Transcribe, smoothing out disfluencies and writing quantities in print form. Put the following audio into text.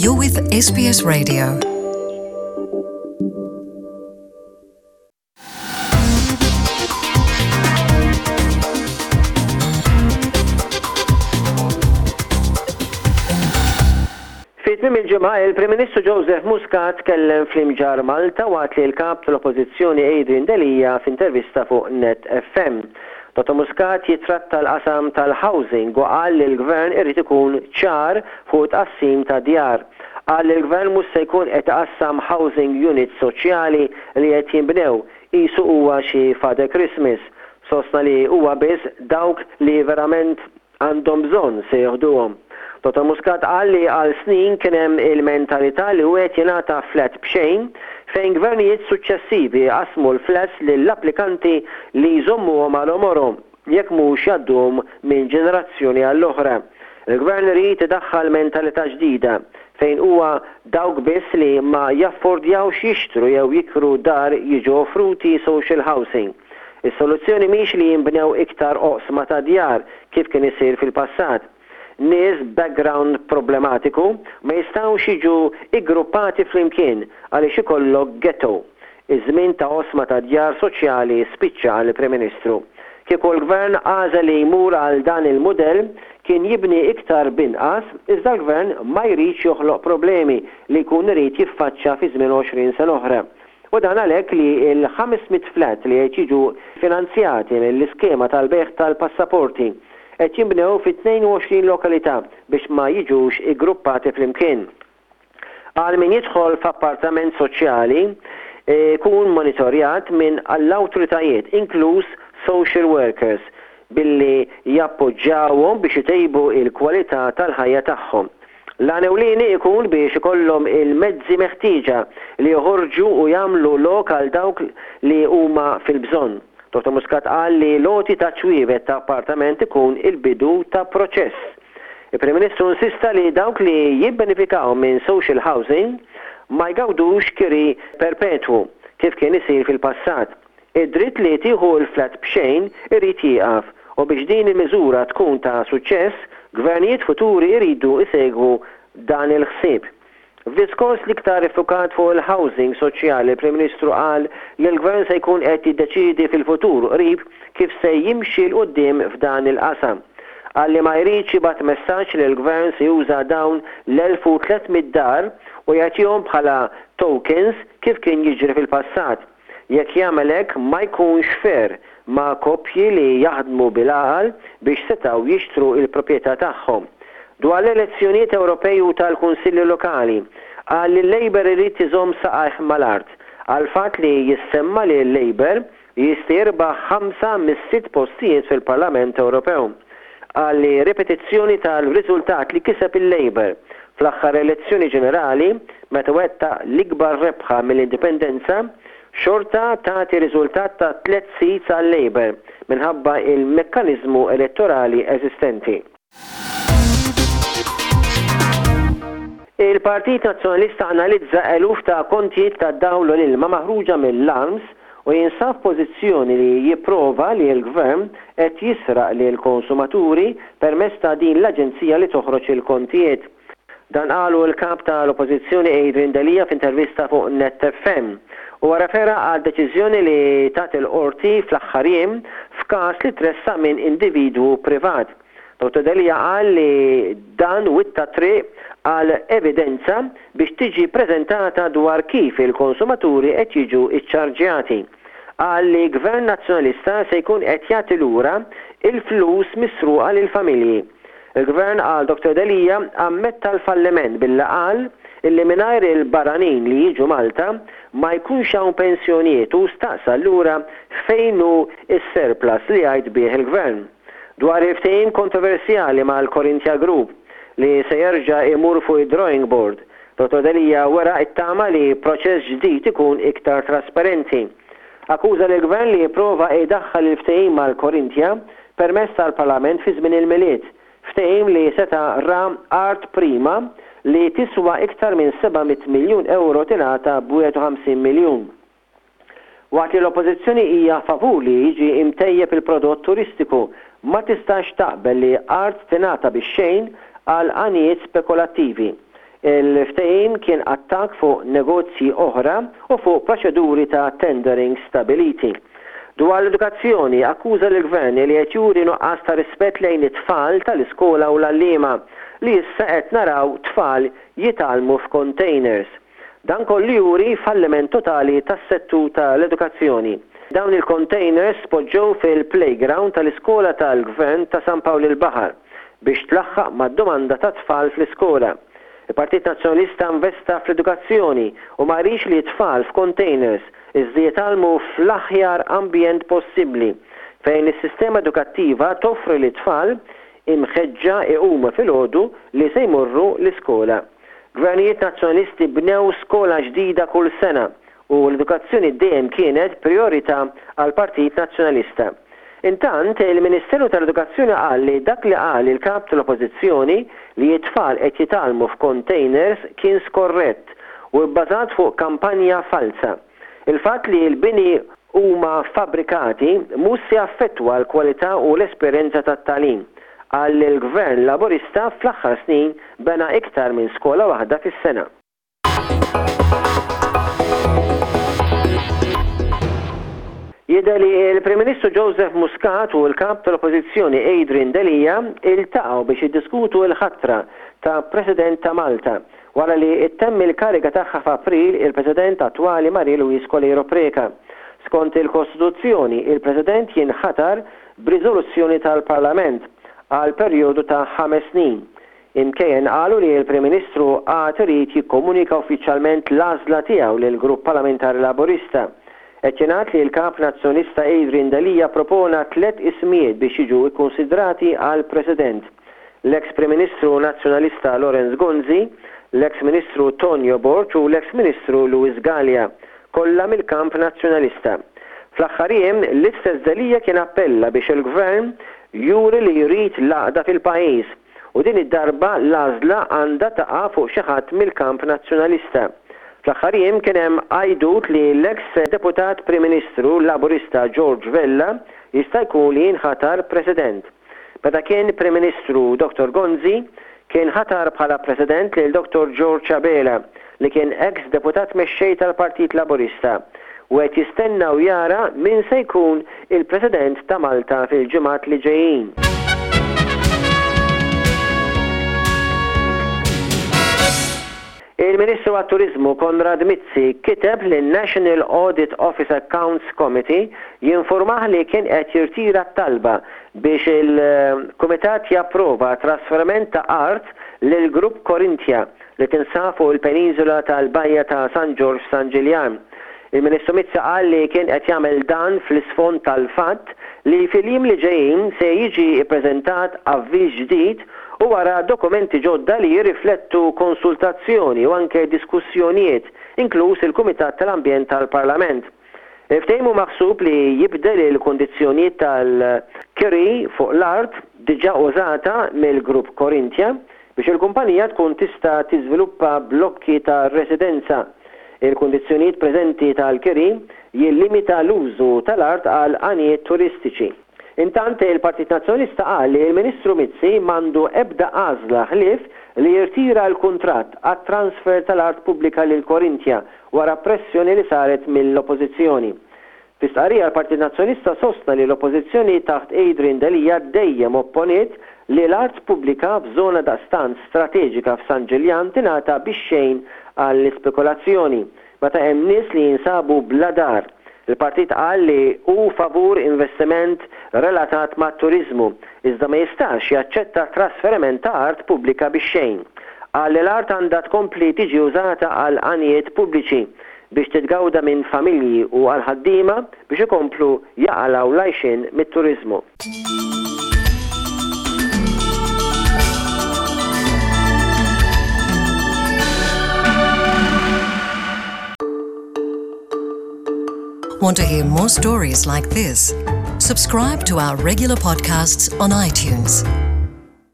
You're with SBS Radio. Fi tmiem il-ġimgħa, il-Prim Ministru Joseph Muscat tkellem fl-Imġarr Malta waqt li l-Kap tal-Oppożizzjoni Adrian Delia f'intervista fuq Net FM. Dottor Muscat jittratta l-qasam tal-housing u qal li l-Gvern irid ikun ċar fuq it-tqassim ta' djar. Qal li l-Gvern mhux se jkun qed iqassam housing units soċjali li qed jinbnew qisu huwa xi Father Christmas. Sostna li huwa biss dawk li verament għandhom bżonn se joħduhom. Dottor Muscat qal li għal snin kien hemm il-mentalità li wieħed jingħata flat b'xejn fejn gvernijiet suċċessivi qasmu l-flats lill-applikanti li jżommuhom għal għomorhom jekk mhux jgħadduhom minn ġenerazzjoni għall-oħra. Il-Gvern irid idaħħal mentalità ġdida fejn huwa dawk biss li ma jaffordjawx jixtru jew jikru dar jiġu offruti social housing. Is-soluzzjoni mhix li jinbnew iktar oqsma ta' djar kif kien isir fil-passat. Nies b'background problematiku ma jistgħux jiġu iggruppati flimkien għaliex ikollok ghetto. Iż-żmien ta' oqsma ta' djar soċjali spiċċa qal il-Prim Ministru. Kieku l-Gvern għażel li jmur għal dan il-mudell kien jibni iktar b'inqas iżda l-Gvern ma jridx joħloq problemi li jkun irid jiffaċċa fi żmien 20 sena oħra. U dan għalhekk li l-500 flat li qed jiġu finanzjati mill-iskema tal-bejgħ tal-passaporti qed jinbnew fi 22 lokalità biex ma jiġux iggruppati flimkien. Għal min jidħol f'appartament soċjali jkun monitorjat minn l-awtoritajiet inkluż social workers billi jappoġġjawhom biex itejbu l-kwalità tal-ħajja tagħhom. L-għan ewlieni ikun biex ikollhom il-mezzi meħtieġa li joħorġu u jagħmlu lok għal dawk li huma fil-bżonn. Dottor Muscat qal li l-għoti ta' ċwievet ta' appartament ikun il-bidu ta' proċess. Il-Prim Ministru insista li dawk li jibbenifikaw minn social housing ma jgawdux kiri perpetwu kif kien isir fil-passat. Id-dritt li tieħu l-flat b'xejn irid jieqaf u biex din il-miżura tkun ta' suċċess, gvernijiet futuri jridu jsegwu dan il-ħsieb. F'diskors l-iktar iffukat fuq il-housing soċjali l-Prim Ministru qal li l-Gvern se jkun qed jiddeċiedi fil-futur qrib kif se jimxi 'l quddiem f'dan il-qasam. Qal li ma jridx jibgħat messaġġ li l-Gvern se juża dawn l-1,300 dar u jagħtihom bħala tokens kif kien jiġri fil-passat. Jekk jagħmel hekk ma jkunx fair ma' koppji li jaħdmu bil-għaqal biex setgħu jixtru l-proprjetà tagħhom. Dwar l-elezzjonijiet Ewropej u tal-Kunsilli Lokali, qal li l-Labour irid iżomm saqajh mal-art għall-fatt li jissemma li l-Labour jista' jirbaħ ħamsa mis-sitt postijiet fil-Parlament Ewropew. Qal li ripetizzjoni tal-riżultat li kiseb il-Labour fl-aħħar elezzjoni ġenerali meta wettaq l-ikbar rebħa mill-Indipendenza, xorta tagħti riżultat ta' tlett seats għal-Labour minħabba il-mekkaniżmu elettorali eżistenti. Il-Partit Nazzjonalista analizza eluf ta' kontijiet tad-dawl u l-ilma maħruġa mill-ARMS u jinsab f'pożizzjoni li jipprova li l-Gvern qed jisraq lill-konsumaturi permezz ta' din l-aġenzija li toħroġ il-kontijiet. Dan qalu l-Kap ta' l-Oppożizzjoni Adrian Delia f'intervista fuq Net FM. Huwa refera għad-deċiżjoni li tat il-Qorti fl-aħħar jiem f'każ li tressaq minn individwu privat. Dottor Delia qal li dan witta t-triq għal evidenza biex tiġi preżentata dwar kif il-konsumaturi qed jiġu ċċarġjati. Qal li Gvern Nazzjonalista se jkun qed jagħti lura l-flus misruqa lill-familji. Il-Gvern, qal Dottor Delia, ammetta l-falliment billi qal illi mingħajr il-barranin li jiġu Malta ma jkunx hawn pensjonijiet u staqsa allura fejn hu s-surplus li jgħid bih il-Gvern. Dwar il-ftehim kontroversjali mal-Corinthia Group li se jerġa' jmur fuq id-drawing board, Dottor Delia wera t-tama li proċess ġdid ikun iktar trasparenti. Akkuża lill-Gvern li jipprova jdaħħal il-ftehim mal-Corinthia permezz tal-Parlament fi żmien il-Milied, ftehim li seta' ra art prima li tiswa iktar minn 700 miljun ewro tingħata b'51 miljun. Waqt li l-Oppożizzjoni hija favur li jiġi mtejjeb il-prodott turistiku, ma tistax taqbel li art tingħata bix-xejn għal għanijiet spekulattivi. Il-ftehim kien attakk fuq negozji oħra u fuq proċeduri ta' tendering stabiliti. Dwar l-edukazzjoni, akkuża lill-Gvern li qed juri nuqqas ta' rispett lejn it-tfal tal-iskola u l-għalliema, li issa qed naraw tfal jitgħallmu f'containers. Dan kollu juri falliment totali tas-settur tal-edukazzjoni. Dawn il-containers tpoġġew fil-playground tal-iskola tal-Gvern ta' San Pawl il-Baħar biex tlaħħaq mad-domanda tat-tfal fl-iskola. Il-Partit Nazzjonalista investa fl-edukazzjoni u ma jridx li t-tfal f'containers iżda jitgħallmu fl-aħjar ambjent possibbli fejn is-sistema edukattiva toffri lit-tfal imħeġġa iqumu filgħodu li se jmorru l-iskola. Gvernijiet Nazzjonalisti bnew skola ġdida kull sena u l-edukazzjoni dejjem kienet prijorità għall-Partit Nazzjonalista. Intant, il-Ministeru tal-Edukazzjoni qal li dak li qal il-Kap tal-Oppożizzjoni li t-tfal qed jitgħallmu f'containers kien skorrett u bbażat fuq kampanja falza. Il-fatt li l-bini huma fabbrikati mhux se jaffettwa l-kwalità u l-esperjenza tat-tagħlim. Qal li l-Gvern Laburista fl-aħħar snin bena iktar minn skola waħda fis-sena. Jidher li l-Prim Ministru Joseph Muscat u l-Kap tal-Oppożizzjoni Adrian Delia iltaqgħu biex jiddiskutu l-ħatra ta' President ta' Malta wara li ttemm il-kariga tagħha f'April il-President attwali Marie Louise Coleiro Preca. Skont il-Kostituzzjoni, il-President jinħatar b'riżoluzzjoni tal-Parlament għal perjodu ta' ħames snin. Imkejjen qalu li l-Prim Ministru għad irid jikkomunika uffiċjalment l-għażla tiegħu lill-Grupp Parlamentari Laburista. Qed jingħad li l-Kap Nazzjonalista Adrian Delia ppropona tlett ismijiet biex jiġu kkunsidrati għal President, l-eks Prim Ministru Nazzjonalista Lawrence Gonzi, l-eks Ministru Tonio Borg u l-eks Ministru Louis Galea, kollha mill-kamp Nazzjonalista. Fl-aħħar jiem, l-istess Delia kien appella biex il-Gvern juri li jrid l-għaqda fil-pajjiż u din id-darba l-għażla għandha taqa' fuq xi ħadd mill-kamp Nazzjonalista. Fl-aħħar jiem kien hemm għajdut li l-eks Deputat Prim Ministru Laburista George Vella jista' jkun li jinħatar President. Meta kien Prim Ministru Dottor Gonzi kien ħatar bħala President lil Dottor George Abela li kien eks Deputat Mexxej tal-Partit Laburista u qed jistenna u jara min se jkun il-President ta' Malta fil-ġimgħat li ġejjin. Il-Ministru għat-Turiżmu Konrad Mizzi kiteb lin-National Audit Office Accounts Committee jinfurmah li kien qed jirtira t-talba biex il-Kumitat japprova trasferiment ta' art lill-Grupp Corinthia li tinsab fuq il-peniżola tal-Bajja ta' San Ġorġ f'San Ġiljan. Il-Ministru Mizzi qal li kien qed jagħmel dan fl-isfond tal-fatt li fil-jiem li ġejjin se jiġi ppreżentat avviż ġdid u wara dokumenti ġodda li jirriflettu konsultazzjoni u anke diskussjonijiet, inkluż il-Kumitat tal-Ambjent tal-Parlament. Il-ftehim hu maħsub li jibdel il-kundizzjonijiet tal-kiri fuq l-art diġà użata mill-Grupp Corinthia biex il-kumpanija tkun tista' tiżviluppa blokki ta' residenza. Il-kundizzjonijiet preżenti tal-kiri jillimita l-użu tal-art għal għanijiet turistiċi. Intant, il-Partit Nazzjonalista qal li l-Ministru Mizzi m'għandu ebda għażla ħlief li jirtira l-kuntratt għat-transfer tal-art pubblika lil Corinthia wara pressjoni li saret mill-Oppożizzjoni. Fi stqarrija l-Partit Nazzjonalista sostna li l-Oppożizzjoni taħt Adrian Delia dejjem opponiet li l-art pubblika f'żona daqstant strateġika f'San Ġiljan tingħata bix-xejn għall-ispekulazzjoni meta hemm nies li jinsabu bla dar. Il-partit qal li hu favur investiment relatat mat-turiżmu, iżda ma jistax jaċċetta trasferiment ta' art pubblika bix-xejn. Qal li l-art għandha tkompli tiġi użata għal għanijiet pubbliċi, biex titgawda minn familji u għall-ħaddiema biex ikomplu jaqalgħu l-għajxien mit-turiżmu. Want to hear more stories like this? Subscribe to our regular podcasts on iTunes.